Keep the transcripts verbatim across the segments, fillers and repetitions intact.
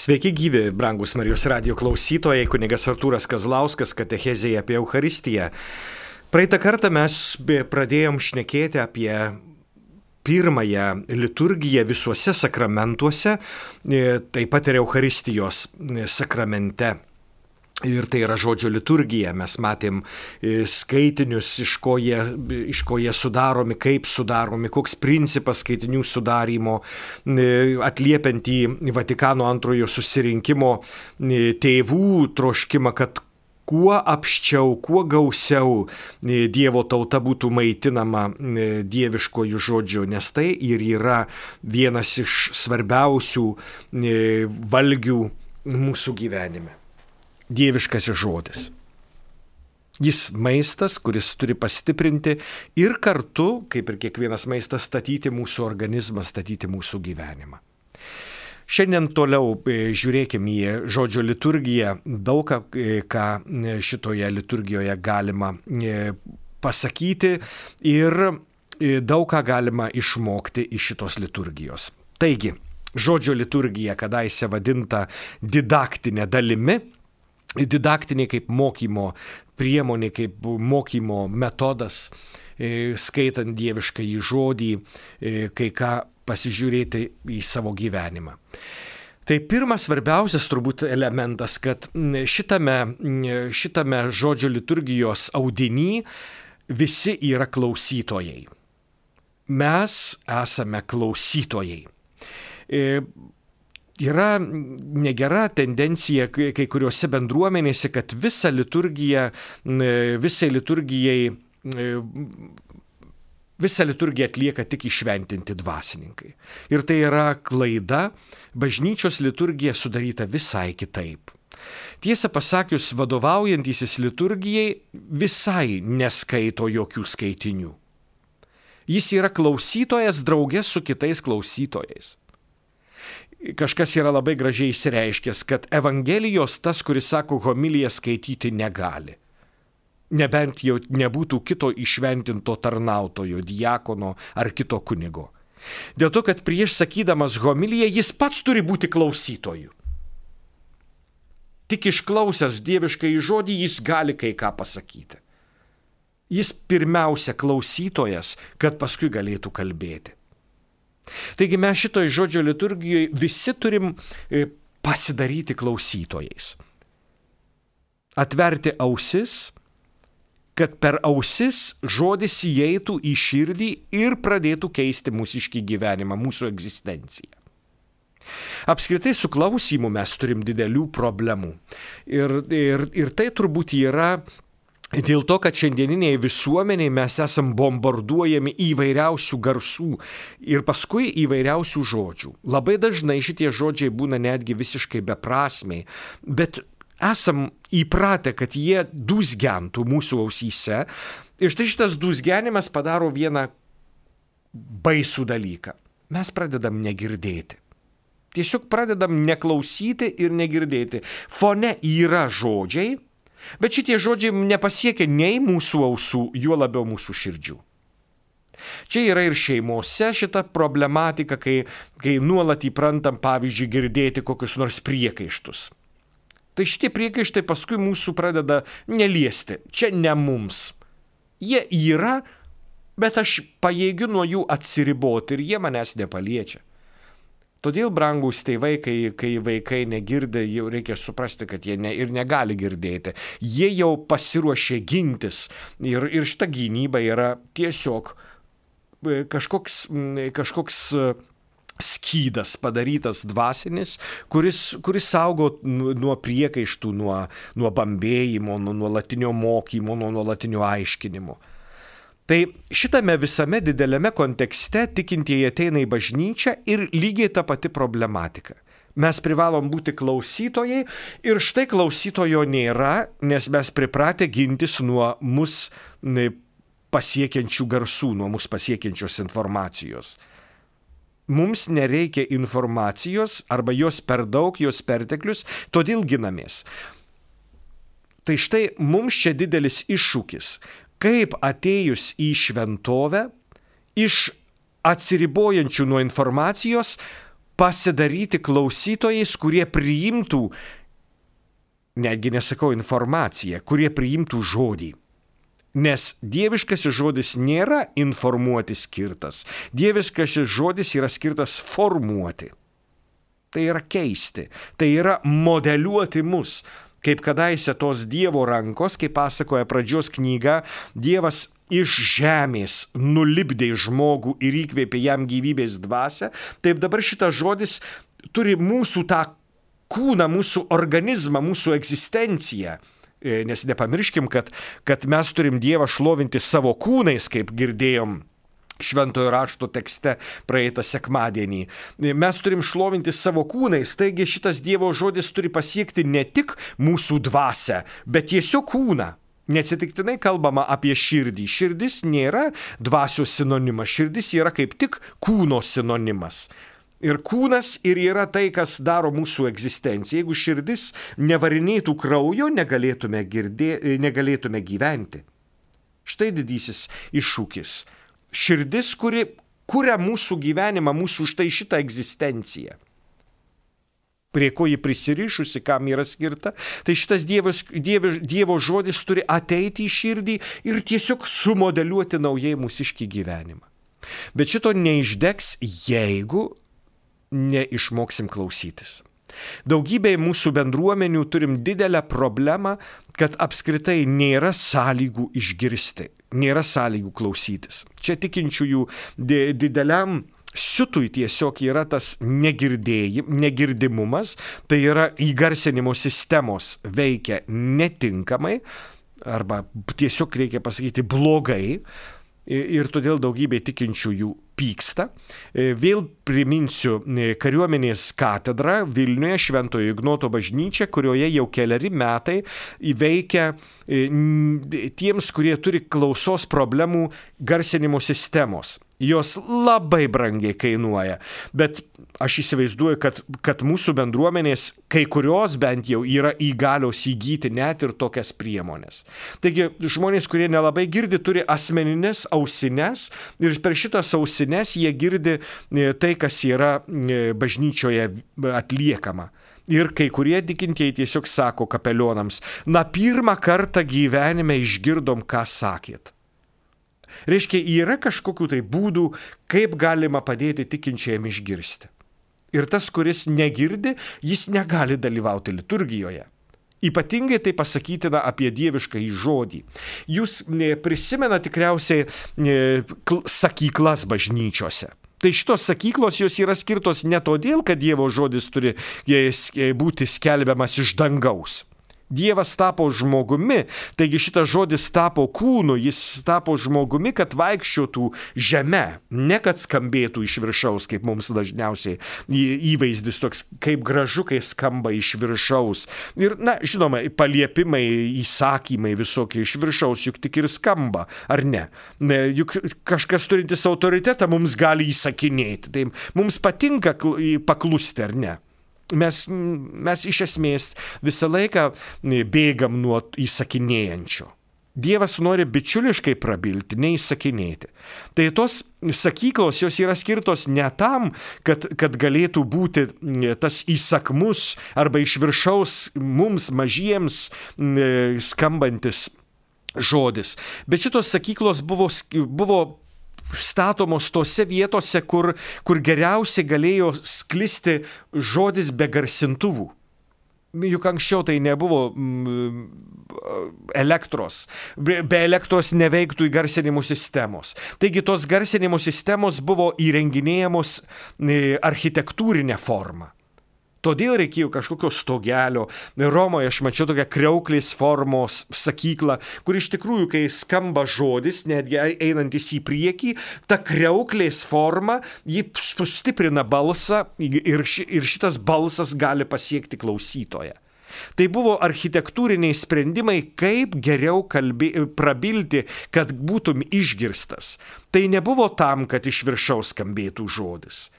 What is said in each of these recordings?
Sveiki gyvi, brangus Marijos radijo klausytojai, kunigas Artūras Kazlauskas, katechezėje apie Eucharistiją. Praeitą kartą mes pradėjom šnekėti apie pirmąją liturgiją visuose sakramentuose, taip pat ir Eucharistijos sakramente. Ir tai yra žodžio liturgija. Mes matėm skaitinius, iš ko jie, iš ko jie sudaromi, kaip sudaromi, koks principas skaitinių sudarymo, atliepiant į Vatikano antrojo susirinkimo tėvų troškimą, kad kuo apščiau, kuo gausiau Dievo tauta būtų maitinama dieviškojų žodžiu, nes tai ir yra vienas iš svarbiausių valgių mūsų gyvenime. Dieviškasis žodis. Jis maistas, kuris turi pastiprinti ir kartu, kaip ir kiekvienas maistas, statyti mūsų organizmą, statyti mūsų gyvenimą. Šiandien toliau žiūrėkime į žodžio liturgiją. Daug ką šitoje liturgijoje galima pasakyti ir daug ką galima išmokti iš šitos liturgijos. Taigi, žodžio liturgija, kadaise vadinta didaktinė dalimi, didaktinė kaip mokymo priemonė, kaip mokymo metodas, skaitant dieviškąjį žodį, kai ką pasižiūrėti į savo gyvenimą. Tai pirmas svarbiausias turbūt elementas, kad šitame, šitame žodžio liturgijos audiny visi yra klausytojai. Mes esame klausytojai. Yra negera tendencija kai kuriuose bendruomenėse, kad visą liturgiją, visai liturgijai, visą liturgiją atlieka tik įšventinti dvasininkai. Ir tai yra klaida, bažnyčios liturgija sudaryta visai kitaip. Tiesą pasakius, vadovaujantysis liturgijai visai neskaito jokių skaitinių. Jis yra klausytojas drauge su kitais klausytojais. Kažkas yra labai gražiai išsireiškęs, kad Evangelijos tas, kuris sako, homiliją skaityti negali. Nebent jau nebūtų kito įšventinto tarnautojo, diakono ar kito kunigo. Dėl to, kad prieš sakydamas homiliją jis pats turi būti klausytoju. Tik išklausęs dieviškąjį žodį jis gali kai ką pasakyti. Jis pirmiausia klausytojas, kad paskui galėtų kalbėti. Taigi mes šitoj žodžio liturgijoje visi turim pasidaryti klausytojais. Atverti ausis, kad per ausis žodis įeitų į širdį ir pradėtų keisti mūsiškį gyvenimą, mūsų egzistenciją. Apskritai su klausymu mes turim didelių problemų. Ir, ir, ir tai turbūt yra dėl to, kad šiandieniniai visuomeniai mes esam bombarduojami įvairiausių garsų ir paskui įvairiausių žodžių. Labai dažnai šitie žodžiai būna netgi visiškai beprasmiai, bet esam įpratę, kad jie dūzgentų mūsų ausyse. Ir štai šitas dūzgenimas padaro vieną baisų dalyką. Mes pradedam negirdėti. Tiesiog pradedam neklausyti ir negirdėti. Fone yra žodžiai, bet šitie žodžiai nepasiekia nei mūsų ausų, juo labiau mūsų širdžių. Čia yra ir šeimose šita problematika, kai, kai nuolat įprantam, pavyzdžiui, girdėti kokius nors priekaištus. Tai šitie priekaištai paskui mūsų pradeda neliesti. Čia ne mums. Jie yra, bet aš pajėgiu nuo jų atsiriboti ir jie manęs nepaliečia. Todėl, brangūs tėvai, kai, kai vaikai negirdi, jau reikia suprasti, kad jie ne, ir negali girdėti. Jie jau pasiruošė gintis ir, ir šita gynyba yra tiesiog kažkoks, kažkoks skydas padarytas dvasinis, kuris, kuris saugo nuo priekaištų, nuo, nuo bambėjimo, nuo nuolatinio mokymo, nuo nuolatinio aiškinimo. Tai šitame visame dideliame kontekste tikintieji ateina į bažnyčią ir lygiai ta pati problematika. Mes privalom būti klausytojai ir štai klausytojo nėra, nes mes pripratę gintis nuo mus pasiekiančių garsų, nuo mus pasiekiančios informacijos. Mums nereikia informacijos arba jos per daug, jos perteklius, todėl ginamės. Tai štai mums čia didelis iššūkis. Kaip atėjus į šventovę, iš atsiribojančių nuo informacijos pasidaryti klausytojais, kurie priimtų, netgi nesakau informaciją, kurie priimtų žodį. Nes dieviškasis žodis nėra informuoti skirtas. Dieviškasis žodis yra skirtas formuoti. Tai yra keisti. Tai yra modeliuoti mus. Kaip kadaise tos Dievo rankos, kaip pasakoja pradžios knyga, Dievas iš žemės nulipdė žmogų ir įkvėpė jam gyvybės dvasią, taip dabar šitas žodis turi mūsų tą kūną, mūsų organizmą, mūsų egzistenciją. Nes nepamirškim, kad, kad mes turim Dievą šlovinti savo kūnais, kaip girdėjom Šventojo rašto tekste praeitą sekmadienį. Mes turim šlovinti savo kūnais, taigi šitas Dievo žodis turi pasiekti ne tik mūsų dvasią, bet tiesiog kūną. Neatsitiktinai kalbama apie širdį. Širdis nėra dvasios sinonimas, širdis yra kaip tik kūno sinonimas. Ir kūnas ir yra tai, kas daro mūsų egzistenciją. Jeigu širdis nevarinėtų kraujo, negalėtume, girdė, negalėtume gyventi. Štai didysis iššūkis. Širdis, kuri kuria mūsų gyvenimą, mūsų štai šitą egzistenciją. Prie ko ji prisirišusi, kam yra skirta, tai šitas dievos, dievo, dievo žodis turi ateiti į širdį ir tiesiog sumodeliuoti naujai mūsiškį gyvenimą. Bet šito neišdegs, jeigu neišmoksim klausytis. Daugybėje mūsų bendruomenių turim didelę problemą, kad apskritai nėra sąlygų išgirsti, nėra sąlygų klausytis. Čia tikinčiųjų dideliam siutui tiesiog yra tas negirdimumas, tai yra įgarsinimo sistemos veikia netinkamai, arba tiesiog reikia pasakyti blogai, ir todėl daugybė tikinčiųjų pyksta. Vėl priminsiu kariuomenės katedrą Vilniuje, Šventojo Ignoto bažnyčia, kurioje jau keleri metai veikia tiems, kurie turi klausos problemų, garsinimo sistemos. Jos labai brangiai kainuoja, bet aš įsivaizduoju, kad, kad mūsų bendruomenės, kai kurios bent jau yra įgalios įgyti net ir tokias priemonės. Taigi žmonės, kurie nelabai girdi, turi asmeninės ausines ir per šitas ausines jie girdi tai, kas yra bažnyčioje atliekama. Ir kai kurie tikintieji tiesiog sako kapelionams, na pirmą kartą gyvenime išgirdom, ką sakėt. Reiškia, yra kažkokių tai būdų, kaip galima padėti tikinčiajam išgirsti. Ir tas, kuris negirdi, jis negali dalyvauti liturgijoje. Ypatingai tai pasakytina apie dievišką žodį. Jūs prisimena tikriausiai sakyklas bažnyčiose. Tai šitos sakyklos jos yra skirtos ne todėl, kad Dievo žodis turi būti skelbiamas iš dangaus. Dievas tapo žmogumi, taigi šitas žodis tapo kūnu, jis tapo žmogumi, kad vaikščiotų žeme, ne kad skambėtų iš viršaus, kaip mums dažniausiai įvaizdis toks, kaip gražu, kai skamba iš viršaus. Ir, na, žinoma, paliepimai, įsakymai visokie iš viršaus juk tik ir skamba, ar ne? Juk kažkas turintis autoritetą mums gali įsakinėti, tai mums patinka paklusti, ar ne? Mes, mes iš esmės visą laiką bėgam nuo įsakinėjančio. Dievas nori bičiuliškai prabilti, neįsakinėti. Tai tos sakyklos, jos yra skirtos ne tam, kad, kad galėtų būti tas įsakmus arba iš viršaus mums mažiems skambantis žodis. Bet šitos sakyklos buvo, buvo statomos tose vietose, kur, kur geriausiai galėjo sklisti žodis be garsintuvų. Juk anksčiau tai nebuvo mm, elektros. Be, be elektros neveiktų įgarsinimo sistemos. Taigi tos garsinimo sistemos buvo įrenginėjamos architektūrinę formą. Todėl reikėjo kažkokio stogelio. Romoje aš mačiau tokią kriauklės formos sakyklą, kur iš tikrųjų, kai skamba žodis, netgi einantis į priekį, ta kriauklės forma, ji sustiprina balsą ir, ši, ir šitas balsas gali pasiekti klausytoją. Tai buvo architektūriniai sprendimai, kaip geriau kalbė, prabilti, kad būtum išgirstas. Tai nebuvo tam, kad iš viršaus skambėtų žodis.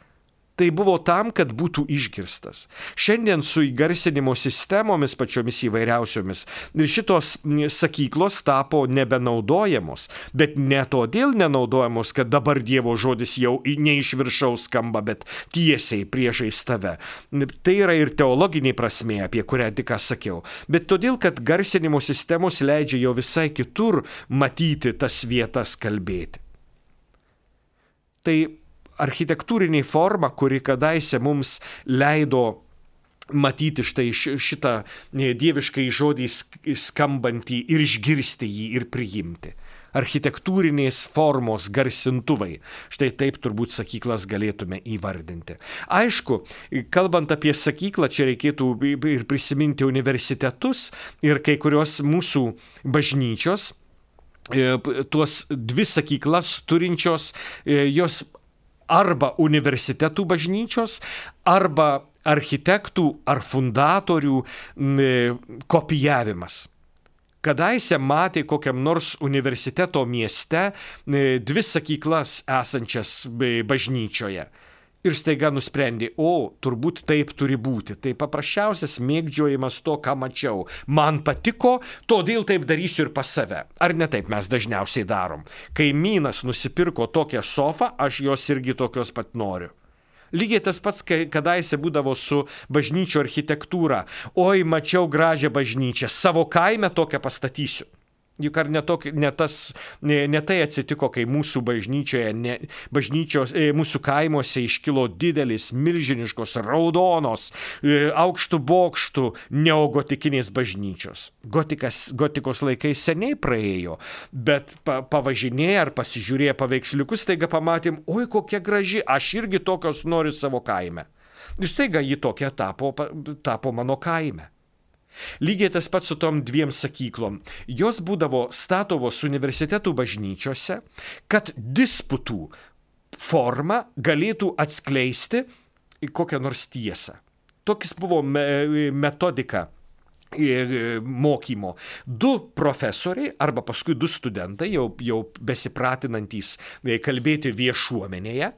Tai buvo tam, kad būtų išgirstas. Šiandien su įgarsinimo sistemomis pačiomis įvairiausiomis šitos sakyklos tapo nebenaudojamos, bet ne todėl nenaudojamos, kad dabar Dievo žodis jau ne iš viršaus skamba, bet tiesiai priešais tave. Tai yra ir teologinė prasmė, apie kurią tik ką sakiau, bet todėl, kad garsinimo sistemos leidžia jau visai kitur matyti tas vietas, kalbėti. Tai architektūrinė forma, kuri kadaise mums leido matyti štai šitą dieviškai žodį skambantį ir išgirsti jį ir priimti. Architektūrinės formos garsintuvai. Štai taip turbūt sakyklas galėtume įvardinti. Aišku, kalbant apie sakyklą, čia reikėtų ir prisiminti universitetus ir kai kurios mūsų bažnyčios, tuos dvi sakyklas turinčios, jos arba universitetų bažnyčios, arba architektų ar fundatorių kopijavimas. Kadaise matė kokiam nors universiteto mieste dvi sakyklas esančias bažnyčioje. Ir staiga nusprendė, o, turbūt taip turi būti. Tai paprasčiausias mėgdžiojimas to, ką mačiau. Man patiko, todėl taip darysiu ir pas save. Ar ne taip mes dažniausiai darom? Kaimynas nusipirko tokią sofą, aš jos irgi tokios pat noriu. Lygiai tas pats, kai kadaise būdavo su bažnyčio architektūra. Oi, mačiau gražią bažnyčią, savo kaime tokią pastatysiu. Juk ar ne, tok, ne, tas, ne, ne tai atsitiko, kai mūsų bažnyčioje, ne, bažnyčios, e, mūsų kaimuose iškilo didelis, milžiniškos, raudonos, e, aukštų bokštų neogotikinės bažnyčios. Gotikas, gotikos laikai seniai praėjo, bet pa, pavažinėję ar pasižiūrėję paveiksliukus, staiga pamatėm, oi kokia graži, aš irgi tokios noriu savo kaime. Ir staiga ji tokia tapo, tapo mano kaime. Lygiai tas pats su tom dviem sakyklom. Jos būdavo statovos universitetų bažnyčiose, kad disputų forma galėtų atskleisti kokią nors tiesą. Toks buvo metodika mokymo. Du profesoriai arba paskui du studentai, jau, jau besipratinantys kalbėti viešuomenėje.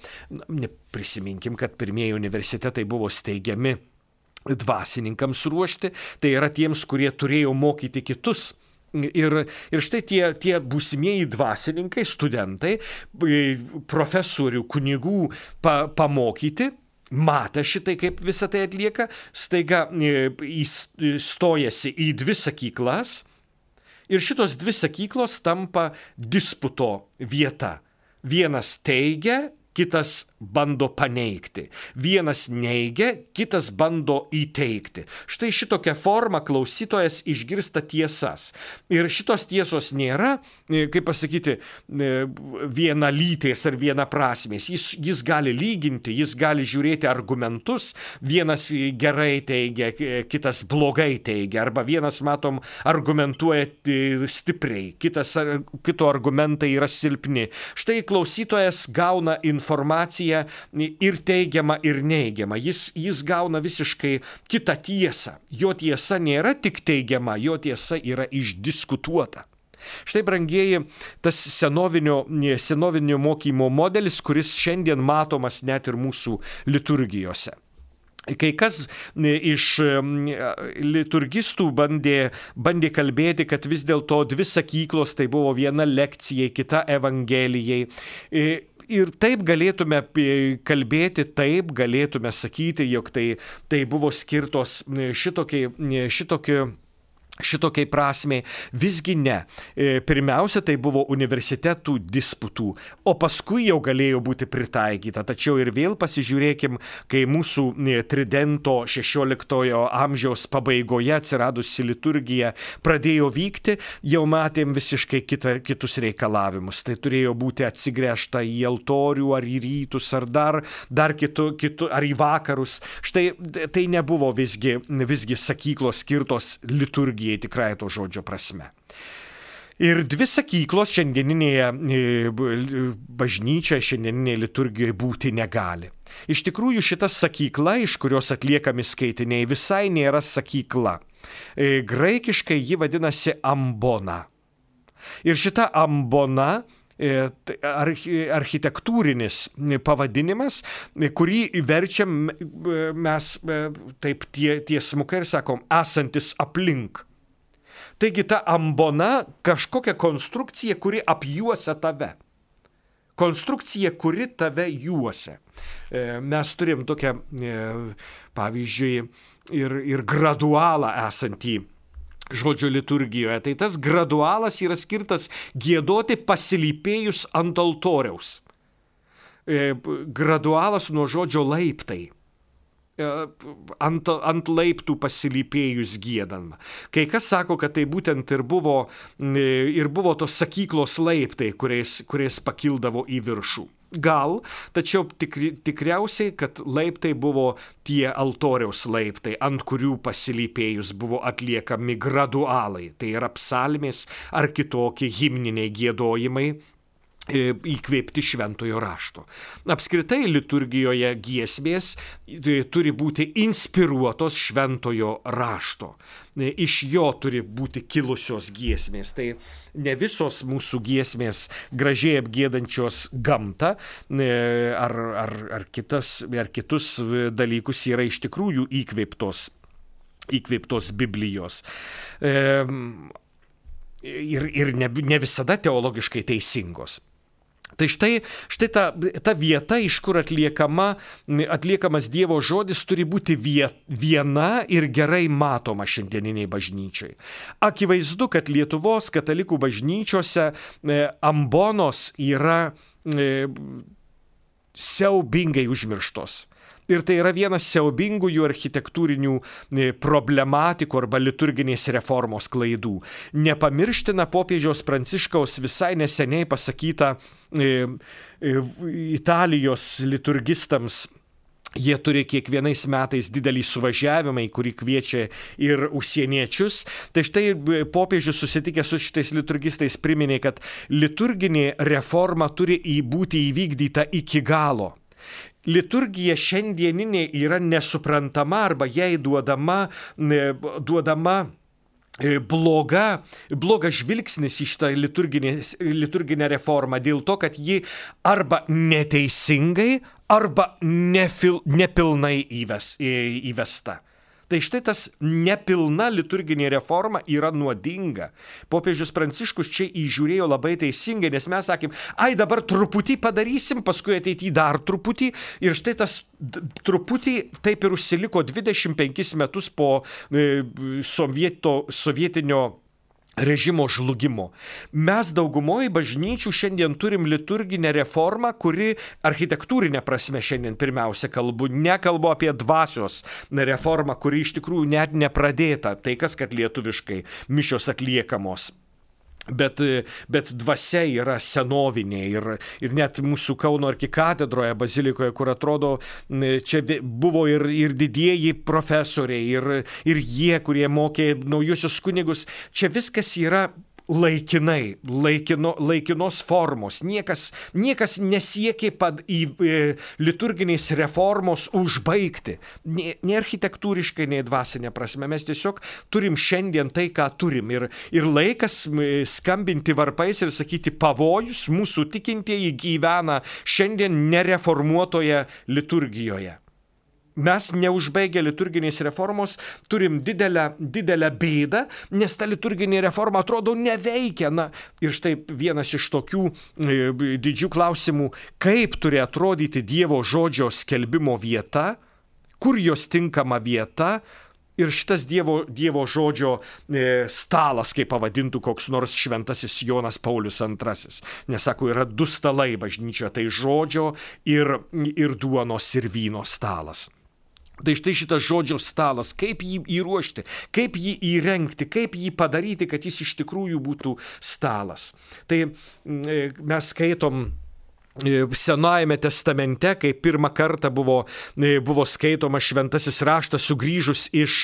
Prisiminkim, kad pirmieji universitetai buvo steigiami dvasininkams ruošti, tai yra tiems, kurie turėjo mokyti kitus. Ir, ir štai tie, tie būsimieji dvasininkai, studentai, profesorių, kunigų pa, pamokyti, matę šitai, kaip visą tai atlieka, staiga įstojasi į dvi sakyklas ir šitos dvi sakyklos tampa disputo vieta. Vienas teigia, kitas bando paneigti. Vienas neigia, kitas bando įteikti. Štai šitokia forma klausytojas išgirsta tiesas. Ir šitos tiesos nėra, kaip pasakyti, vienalytės ar vienaprasmės. Jis, jis gali lyginti, jis gali žiūrėti argumentus. Vienas gerai teigia, kitas blogai teigia. Arba vienas, matom, argumentuoja stipriai, kitas, kito argumentai yra silpni. Štai klausytojas gauna informaciją ir teigiamą, ir neigiamą. Jis, jis gauna visiškai kitą tiesą. Jo tiesa nėra tik teigiama, jo tiesa yra išdiskutuota. Štai, brangieji, tas senovinio, senovinio mokymo modelis, kuris šiandien matomas net ir mūsų liturgijose. Kai kas iš liturgistų bandė, bandė kalbėti, kad vis dėlto dvi sakyklos tai buvo viena lekcijai, kita evangelijai. Ir taip galėtume kalbėti, taip galėtume sakyti, jog tai, tai buvo skirtos šitokiai, šitokiai, šitokiai prasmei. Visgi ne. Pirmiausia, tai buvo universitetų disputų, o paskui jau galėjo būti pritaikyta. Tačiau ir vėl pasižiūrėkim, kai mūsų tridento šešioliktojo amžiaus pabaigoje atsiradusi liturgija pradėjo vykti, jau matėm visiškai kita, kitus reikalavimus. Tai turėjo būti atsigręžta į altorių, ar į rytus, ar dar, dar kitu, kitu, ar į vakarus. Štai tai nebuvo visgi, visgi sakyklos skirtos liturgijai tikrai to žodžio prasme. Ir dvi sakyklos šiandieninėje bažnyčioje, šiandieninėje liturgijoje būti negali. Iš tikrųjų, šita sakykla, iš kurios atliekami skaitiniai, visai nėra sakykla. Graikiškai ji vadinasi ambona. Ir šita ambona architektūrinis pavadinimas, kurį verčiam mes taip tie, tiesmukai ir sakom, esantis aplink. Taigi ta ambona kažkokia konstrukcija, kuri apjuosia tave. Konstrukcija, kuri tave juosia. Mes turim tokią, pavyzdžiui, ir, ir gradualą esantį žodžio liturgijoje. Tai tas gradualas yra skirtas giedoti pasilypėjus ant altoriaus. Gradualas nuo žodžio laiptai. Ant, ant laiptų pasilypėjus giedama. Kai kas sako, kad tai būtent ir buvo, ir buvo tos sakyklos laiptai, kuriais, kuriais pakildavo į viršų. Gal, tačiau tikri, tikriausiai, kad laiptai buvo tie altoriaus laiptai, ant kurių pasilypėjus buvo atliekami gradualai. Tai yra psalmės ar kitokie himniniai giedojimai, įkvėpti šventojo rašto. Apskritai liturgijoje giesmės turi būti inspiruotos šventojo rašto. Iš jo turi būti kilusios giesmės. Tai ne visos mūsų giesmės gražiai apgiedančios gamtą ar, ar, ar, kitas, ar kitus dalykus yra iš tikrųjų įkvėptos, įkvėptos Biblijos. Ir, ir ne, ne visada teologiškai teisingos. Tai štai, štai ta, ta vieta, iš kur atliekama, atliekamas Dievo žodis, turi būti viena ir gerai matoma šiandieniniai bažnyčiai. Akivaizdu, kad Lietuvos katalikų bažnyčiose ambonos yra siaubingai užmirštos. Ir tai yra vienas siaubingųjų architektūrinių problematikų arba liturginės reformos klaidų. Nepamirština popiežiaus Pranciškaus visai neseniai pasakyta e, e, Italijos liturgistams. Jie turi kiekvienais metais didelį suvažiavimą, į kurį kviečia ir užsieniečius. Tai štai popiežius susitikęs su šitais liturgistais priminė, kad liturginė reforma turi būti įvykdyta iki galo. Liturgija šiandieninė yra nesuprantama arba jai duodama, duodama bloga, blogas žvilgsnis į šitą liturginę reformą dėl to, kad ji arba neteisingai, arba nefil, nepilnai įves, įvesta. Tai štai tas nepilna liturginė reforma yra nuodinga. Popiežius Pranciškus čia įžiūrėjo labai teisingai, nes mes sakėm, ai dabar truputį padarysim, paskui ateityje dar truputį. Ir štai tas truputį taip ir užsiliko dvidešimt penkis metus po sovieto, sovietinio režimo žlugimo. Mes daugumoje bažnyčių šiandien turim liturginę reformą, kuri architektūrinė prasme šiandien pirmiausia kalbu, nekalbu apie dvasios reformą, kuri iš tikrųjų net nepradėta, tai kas kad lietuviškai mišios atliekamos. Bet, bet dvasia yra senovinė ir, ir net mūsų Kauno arkikatedroje, bazilikoje, kur atrodo, čia buvo ir, ir didieji profesoriai, ir, ir jie, kurie mokė naujusius kunigus, čia viskas yra laikinai, laikino, laikinos formos. Niekas, niekas nesiekė pad, į, į liturginės reformos užbaigti. Nei, nei architektūriškai, nei dvasinė prasme. Mes tiesiog turim šiandien tai, ką turim. Ir, ir laikas skambinti varpais ir sakyti, pavojus, mūsų tikintieji gyvena šiandien nereformuotoje liturgijoje. Mes neužbaigę liturginės reformos turim didelę, didelę bėdą, nes ta liturginė reforma atrodo neveikia. Na, ir štai vienas iš tokių e, didžių klausimų, kaip turi atrodyti Dievo žodžio skelbimo vieta, kur jos tinkama vieta. Ir šitas Dievo, dievo žodžio e, stalas, kaip pavadintų koks nors šventasis Jonas Paulius antrasis. Nes sako, yra du stalai bažnyčioje, tai žodžio ir, ir duonos ir vyno stalas. Tai štai šitas žodžio stalas, kaip jį įruošti, kaip jį įrengti, kaip jį padaryti, kad jis iš tikrųjų būtų stalas. Tai mes skaitom Senajame testamente, kai pirmą kartą buvo, buvo skaitoma šventasis raštas sugrįžus iš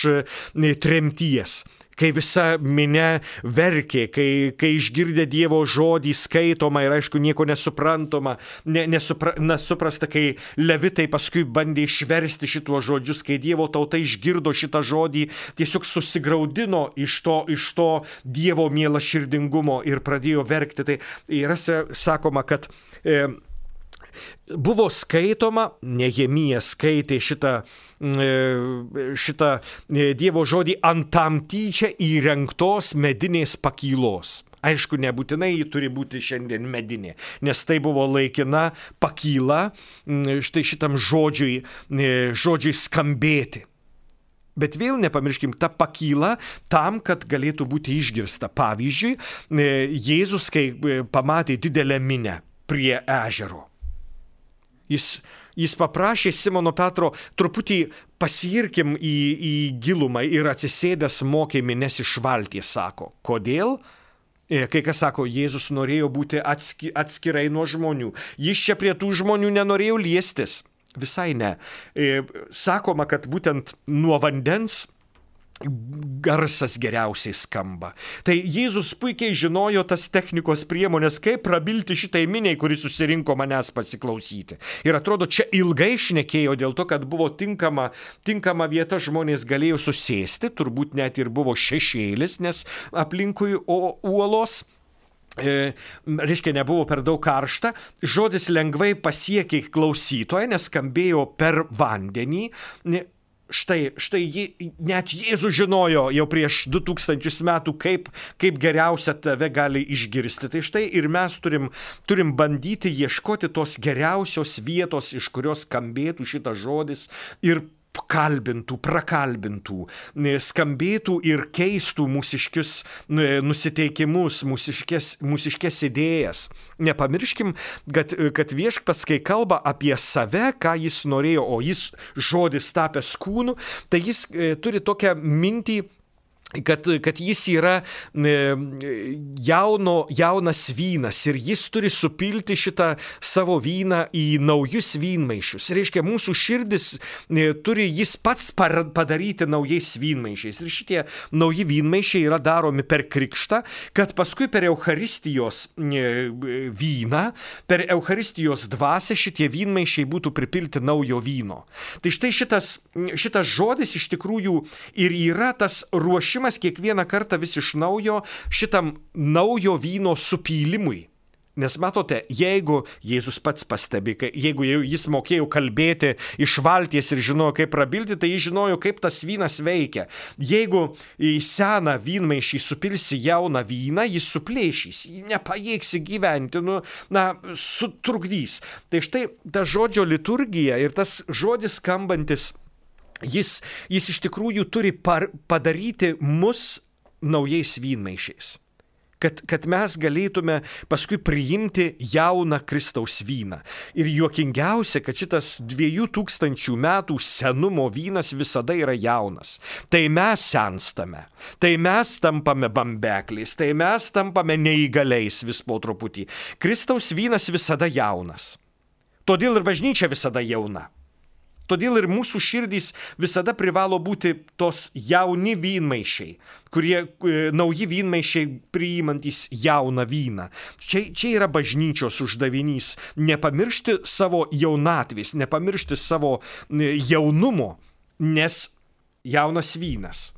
tremties. kai visa minia verkė, kai, kai išgirdę Dievo žodį skaitoma ir aišku nieko nesuprantama, ne, nesupra, nesuprasta, kai levitai paskui bandė išversti šituos žodžius, kai Dievo tauta išgirdo šitą žodį, tiesiog susigraudino iš to, iš to Dievo mielaširdingumo ir pradėjo verkti. Tai yra sakoma, kad e, buvo skaitoma, Nehemija skaitė šitą, šitą Dievo žodį ant tam tyčia įrengtos medinės pakylos. Aišku, nebūtinai ji turi būti šiandien medinė, nes tai buvo laikina pakyla štai šitam žodžiui, žodžiui skambėti. Bet vėl nepamirškim, ta pakyla tam, kad galėtų būti išgirsta. Pavyzdžiui, Jėzus, kai pamatė didelę minią prie ežero, Jis, jis paprašė Simono Petro truputį pasiirkim į, į gilumą ir atsisėdęs mokė mines iš valties, sako. Kodėl? Kai kas sako, Jėzus norėjo būti atski, atskirai nuo žmonių. Jis čia prie tų žmonių nenorėjo liestis. Visai ne. Sakoma, kad būtent nuo vandens garsas geriausiai skamba. Tai Jėzus puikiai žinojo tas technikos priemonės, kaip prabilti šitai miniai, kuri susirinko manęs pasiklausyti. Ir atrodo, čia ilgai šnekėjo dėl to, kad buvo tinkama, tinkama vieta, žmonės galėjo susėsti, turbūt net ir buvo šešėlis, nes aplinkui uolos. E, reiškia, nebuvo per daug karšta, žodis lengvai pasiekė klausytoją, nes skambėjo per vandenį. Štai, štai jį, net Jėzus žinojo jau prieš du tūkstančius metų, kaip, kaip geriausia tave gali išgirsti. Tai štai ir mes turim, turim bandyti ieškoti tos geriausios vietos, iš kurios skambėtų šitas žodis ir kalbintų, prakalbintų, skambėtų ir keistų mūsiškius nusiteikimus, mūsiškės, mūsiškės idėjas. Nepamirškim, kad, kad Viešpats, kai kalba apie save, ką jis norėjo, o jis žodis tapęs kūnu, tai jis e, turi tokią mintį, Kad, kad jis yra jauno, jaunas vynas ir jis turi supilti šitą savo vyną į naujus vynmaišius. Reiškia, mūsų širdis turi jis pats padaryti naujais vynmaišiais. Ir šitie nauji vynmaišiai yra daromi per krikštą, kad paskui per Eucharistijos vyną, per Eucharistijos dvasią šitie vynmaišiai būtų pripilti naujo vyno. Tai štai šitas, šitas žodis iš tikrųjų ir yra tas ruošimas kiekvieną kartą vis iš naujo šitam naujo vyno supylimui. Nes matote, jeigu Jėzus pats pastebi, jeigu jis mokėjo kalbėti iš valties ir žinojo, kaip prabilti, tai jis žinojo, kaip tas vynas veikia. Jeigu į seną vynmaišį supilsi jauną vyną, jis suplėšys, nepajėgsi gyventi, nu, na, sutrukdys. Tai štai ta žodžio liturgija ir tas žodis skambantis, Jis, jis iš tikrųjų turi par, padaryti mus naujais vynmaišiais, kad, kad mes galėtume paskui priimti jauną Kristaus vyną. Ir juokingiausia, kad šitas dviejų tūkstančių metų senumo vynas visada yra jaunas. Tai mes senstame, tai mes tampame bambekliais, tai mes tampame neįgaliais vis po truputį. Kristaus vynas visada jaunas. Todėl ir bažnyčia visada jauna. Todėl ir mūsų širdys visada privalo būti tos jauni vynmaišiai, kurie e, nauji vynmaišiai priimantys jauną vyną. Čia, čia yra bažnyčios uždavinys - nepamiršti savo jaunatvės, nepamiršti savo e, jaunumo, nes jaunas vynas.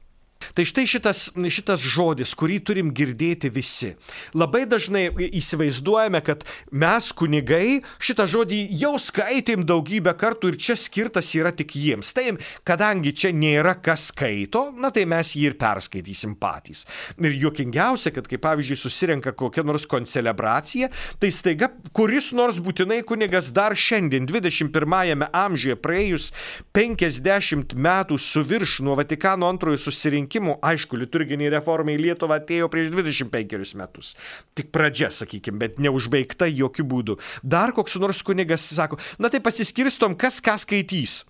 Tai štai šitas, šitas žodis, kurį turim girdėti visi. Labai dažnai įsivaizduojame, kad mes kunigai šitą žodį jau skaitėm daugybę kartų ir čia skirtas yra tik jiems. Tai kadangi čia nėra kas skaito, na tai mes jį ir perskaitysim patys. Ir juokingiausia, kad kai pavyzdžiui susirenka kokia nors koncelebracija, tai staiga kuris nors būtinai kunigas dar šiandien dvidešimt pirmajame amžiuje praėjus penkiasdešimt metų su virš nuo Vatikano antrojo susirinkimo, aišku, liturginiai reformai į Lietuvą atėjo prieš dvidešimt penkerius metus. Tik pradžia, sakykime, bet neužbaigta jokių būdų. Dar koks nors kunigas sako, na tai pasiskirstom, kas ką skaitys.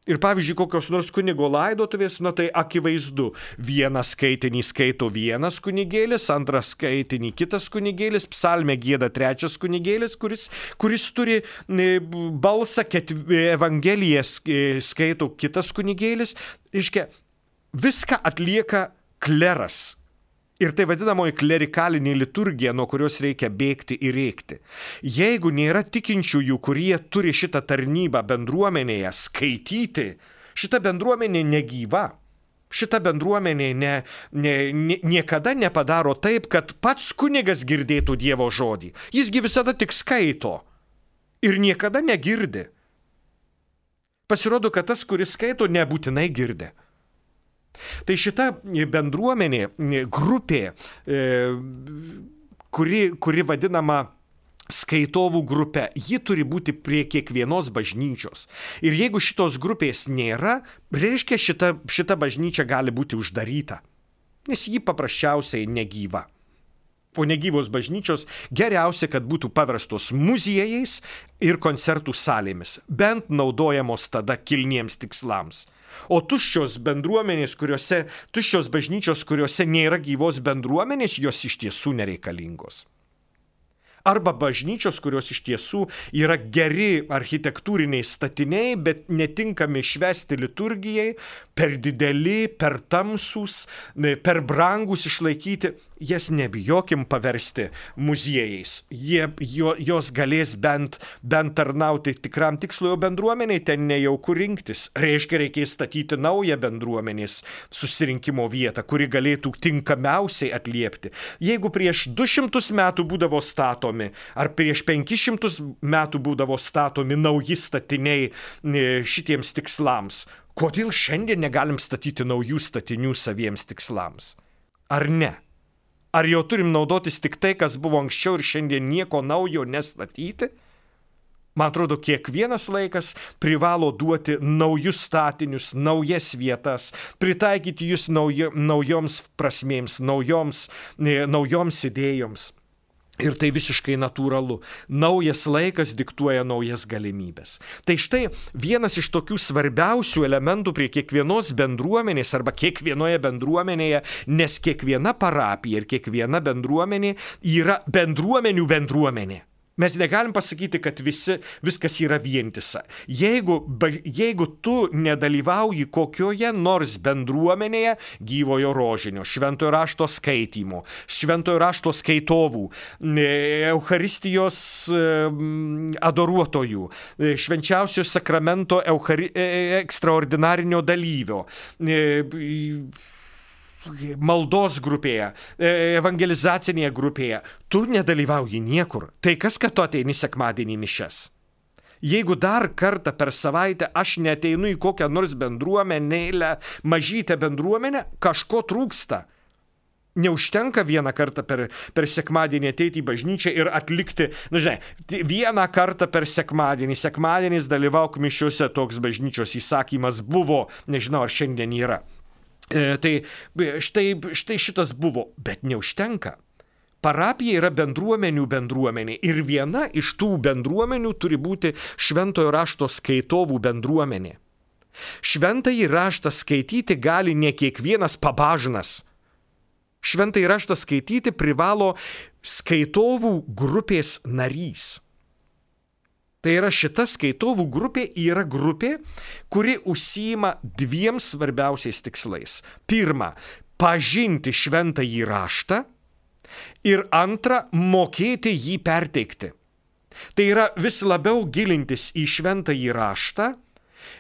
Ir pavyzdžiui, kokios nors kunigo laidotuvės, na tai akivaizdu. Vieną skaitinį skaito vienas kunigėlis, antrą skaitinį kitas kunigėlis, psalmę gieda trečias kunigėlis, kuris, kuris turi balsą, Evangeliją skaito kitas kunigėlis. Reiškia, viską atlieka kleras. Ir tai vadinamoji klerikalinė liturgija, nuo kurios reikia bėgti ir rėkti. Jeigu nėra tikinčiųjų, kurie turi šitą tarnybą bendruomenėje skaityti, šita bendruomenė negyva. Šita bendruomenė ne, ne, ne, niekada nepadaro taip, kad pats kunigas girdėtų Dievo žodį. Jisgi visada tik skaito ir niekada negirdi. Pasirodo, kad tas, kuris skaito, nebūtinai girdi. Tai šita bendruomenė, grupė, kuri, kuri vadinama skaitovų grupė, ji turi būti prie kiekvienos bažnyčios. Ir jeigu šitos grupės nėra, reiškia šita, šita bažnyčia gali būti uždaryta, nes ji paprasčiausiai negyva. O negyvos bažnyčios geriausia, kad būtų paverstos muziejais ir koncertų salėmis, bent naudojamos tada kilniems tikslams. O tuščios bendruomenės, kuriuose, tuščios bažnyčios, kuriuose nėra gyvos bendruomenės, jos iš tiesų nereikalingos. Arba bažnyčios, kurios iš tiesų yra geri architektūriniai statiniai, bet netinkami švęsti liturgijai, per dideli, per tamsūs, per brangus išlaikyti, jas nebijokim paversti muziejais. Jie, jo, jos galės bent, bent tarnauti tikram tikslui, o bendruomeniai ten nejauku rinktis. Reiškia, reikės statyti naują bendruomenės susirinkimo vietą, kuri galėtų tinkamiausiai atliepti. Jeigu prieš du šimtus metų būdavo statomi, ar prieš penkis šimtus metų būdavo statomi nauji statiniai šitiems tikslams, kodėl šiandien negalim statyti naujų statinių saviems tikslams? Ar ne? Ar jau turim naudotis tik tai, kas buvo anksčiau ir šiandien nieko naujo nestatyti? Man atrodo, kiekvienas laikas privalo duoti naujus statinius, naujas vietas, pritaikyti jūs naujo, naujoms prasmėms, naujoms, naujoms idėjoms. Ir tai visiškai natūralu. Naujas laikas diktuoja naujas galimybės. Tai štai vienas iš tokių svarbiausių elementų prie kiekvienos bendruomenės arba kiekvienoje bendruomenėje, nes kiekviena parapija ir kiekviena bendruomenė yra bendruomenių bendruomenė. Mes negalim pasakyti, kad visi, viskas yra vientisa. Jeigu, jeigu tu nedalyvauji kokioje nors bendruomenėje gyvojo rožinio, šventojo rašto skaitymo, šventojo rašto skaitovų, Eucharistijos adoruotojų, švenčiausio sakramento euchari, ekstraordinarinio dalyvio, maldos grupėje, evangelizacinėje grupėje, tu nedalyvauji niekur. Tai kas, kad tu ateini sekmadienį mišias? Jeigu dar kartą per savaitę aš neateinu į kokią nors bendruomenėlę, mažytę bendruomenę, kažko trūksta. Neužtenka vieną kartą per, per sekmadienį ateiti į bažnyčią ir atlikti, na žinai, vieną kartą per sekmadienį, sekmadienis dalyvauk mišiuose, toks bažnyčios įsakymas buvo, nežinau, ar šiandien yra. E, tai štai, štai šitas buvo, bet neužtenka. Parapija yra bendruomenių bendruomenė ir viena iš tų bendruomenių turi būti šventojo rašto skaitovų bendruomenė. Šventąjį raštą skaityti gali ne kiekvienas pabažnas. Šventąjį raštą skaityti privalo skaitovų grupės narys. Tai yra šita skaitovų grupė yra grupė, kuri užsiima dviem svarbiausiais tikslais. Pirma, pažinti šventąjį raštą ir antra, mokėti jį perteikti. Tai yra vis labiau gilintis į šventąjį raštą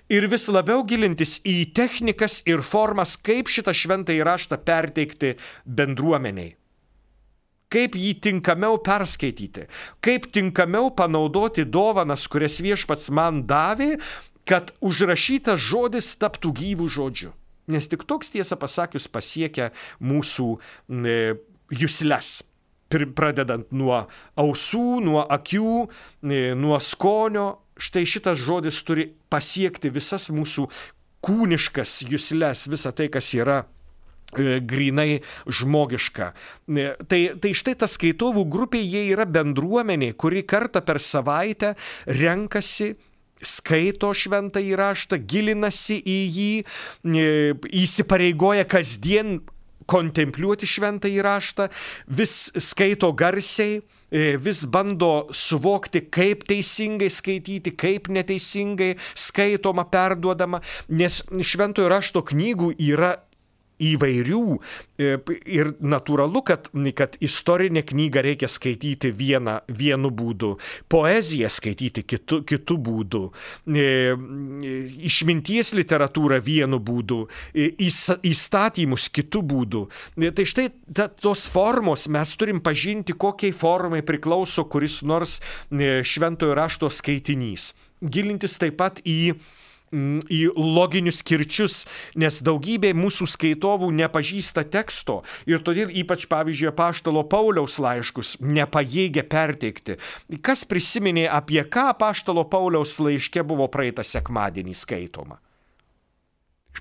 ir vis labiau gilintis į technikas ir formas, kaip šitą šventąjį raštą perteikti bendruomeniai. Kaip jį tinkamiau perskaityti, kaip tinkamiau panaudoti dovanas, kurias viešpats man davė, kad užrašytas žodis taptų gyvų žodžiu. Nes tik toks, tiesą pasakius, pasiekia mūsų e, jusles. Pradedant nuo ausų, nuo akių, e, nuo skonio. Štai šitas žodis turi pasiekti visas mūsų kūniškas jusles, visą tai, kas yra grinai žmogiška. Tai, tai štai ta skaitovų grupė, jie yra bendruomenė, kuri kartą per savaitę renkasi, skaito šventąjį raštą, gilinasi į jį, įsipareigoja kasdien kontempliuoti šventąjį raštą, vis skaito garsiai, vis bando suvokti, kaip teisingai skaityti, kaip neteisingai skaitoma, perduodama, nes šventojo rašto knygų yra įvairių ir natūralu, kad, kad istorinę knygą reikia skaityti vieną, vienu būdu, poeziją skaityti kitu, kitu būdu, išminties literatūrą vienu būdu, įstatymus kitu būdu. Tai štai ta, tos formos mes turim pažinti, kokiai formai priklauso kuris nors šventojo rašto skaitinys. Gilintis taip pat į į loginius kirčius, nes daugybė mūsų skaitovų nepažįsta teksto ir todėl ypač, pavyzdžiui, apaštalo Pauliaus laiškus nepajėgia perteikti. Kas prisiminė, apie ką apaštalo Pauliaus laiške buvo praeitą sekmadienį skaitoma?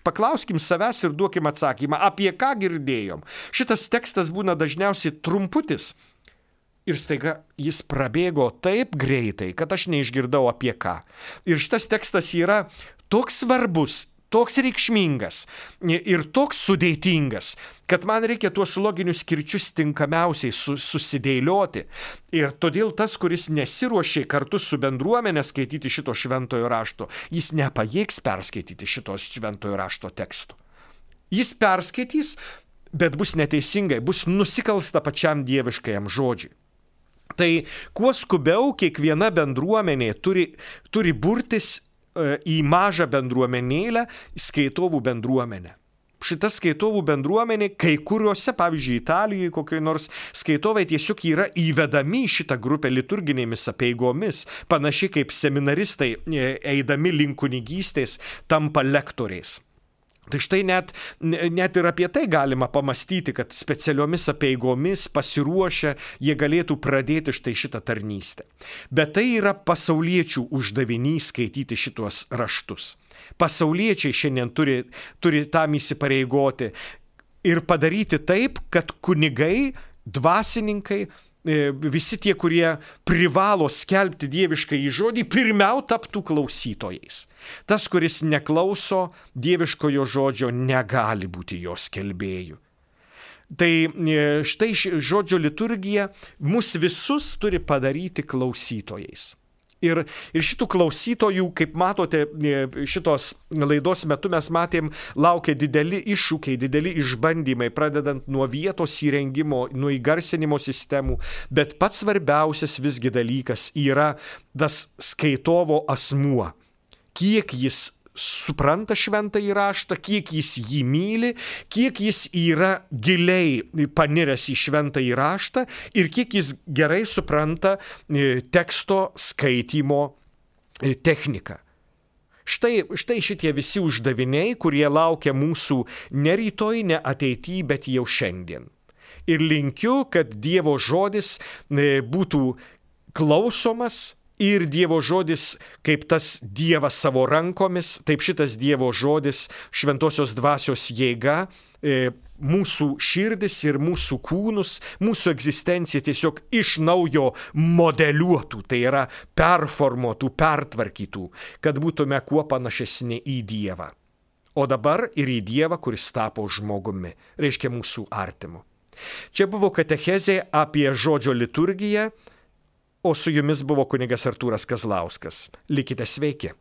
Paklauskim savęs ir duokim atsakymą, apie ką girdėjom. Šitas tekstas būna dažniausiai trumputis. Ir staiga jis prabėgo taip greitai, kad aš neišgirdau apie ką. Ir šitas tekstas yra toks svarbus, toks reikšmingas ir toks sudėtingas, kad man reikia tuos loginius kirčius tinkamiausiai su, susidėlioti. Ir todėl tas, kuris nesiruošė kartu su bendruomenė skaityti šito šventojo rašto, jis nepajėgs perskaityti šito šventojo rašto teksto. Jis perskaitys, bet bus neteisingai, bus nusikalsta pačiam dieviškajam žodžiui. Tai kuo skubiau kiekviena bendruomenė turi, turi burtis e, į mažą bendruomenėlę, skaitovų bendruomenę. Šita skaitovų bendruomenė, kai kuriuose, pavyzdžiui, Italijoje kokioj nors skaitovai tiesiog yra įvedami į šitą grupę liturginėmis apeigomis, panašiai kaip seminaristai eidami link kunigystės tampa lektoriais. Tai štai net, net ir apie tai galima pamastyti, kad specialiomis apeigomis pasiruošę jie galėtų pradėti štai šitą tarnystę. Bet tai yra pasauliečių uždavinys skaityti šitos raštus. Pasauliečiai šiandien turi, turi tam įsipareigoti ir padaryti taip, kad kunigai, dvasininkai, visi tie, kurie privalo skelbti dievišką žodį, pirmiau taptų klausytojais. Tas, kuris neklauso dieviškojo žodžio, negali būti jo skelbėju. Tai štai žodžio liturgija mus visus turi padaryti klausytojais. Ir, ir šitų klausytojų, kaip matote, šitos laidos metu mes matėm, laukia dideli iššūkiai, dideli išbandymai, pradedant nuo vietos įrengimo, nuo įgarsinimo sistemų, bet pats svarbiausias visgi dalykas yra tas skaitovo asmuo. Kiek jis supranta šventąjį raštą, kiek jis jį myli, kiek jis yra giliai paniręs į šventąjį raštą ir kiek jis gerai supranta teksto skaitymo techniką. Štai, štai šitie visi uždaviniai, kurie laukia mūsų ne rytoj, ne ateityje, bet jau šiandien. Ir linkiu, kad Dievo žodis būtų klausomas, ir Dievo žodis, kaip tas Dievas savo rankomis, taip šitas Dievo žodis, šventosios dvasios jėga, mūsų širdis ir mūsų kūnus, mūsų egzistenciją tiesiog iš naujo modeliuotų, tai yra performuotų, pertvarkytų, kad būtume kuo panašesni į Dievą. O dabar ir į Dievą, kuris tapo žmogumi, reiškia mūsų artimu. Čia buvo katechezė apie žodžio liturgiją, o su jumis buvo kunigas Artūras Kazlauskas. Likite sveiki.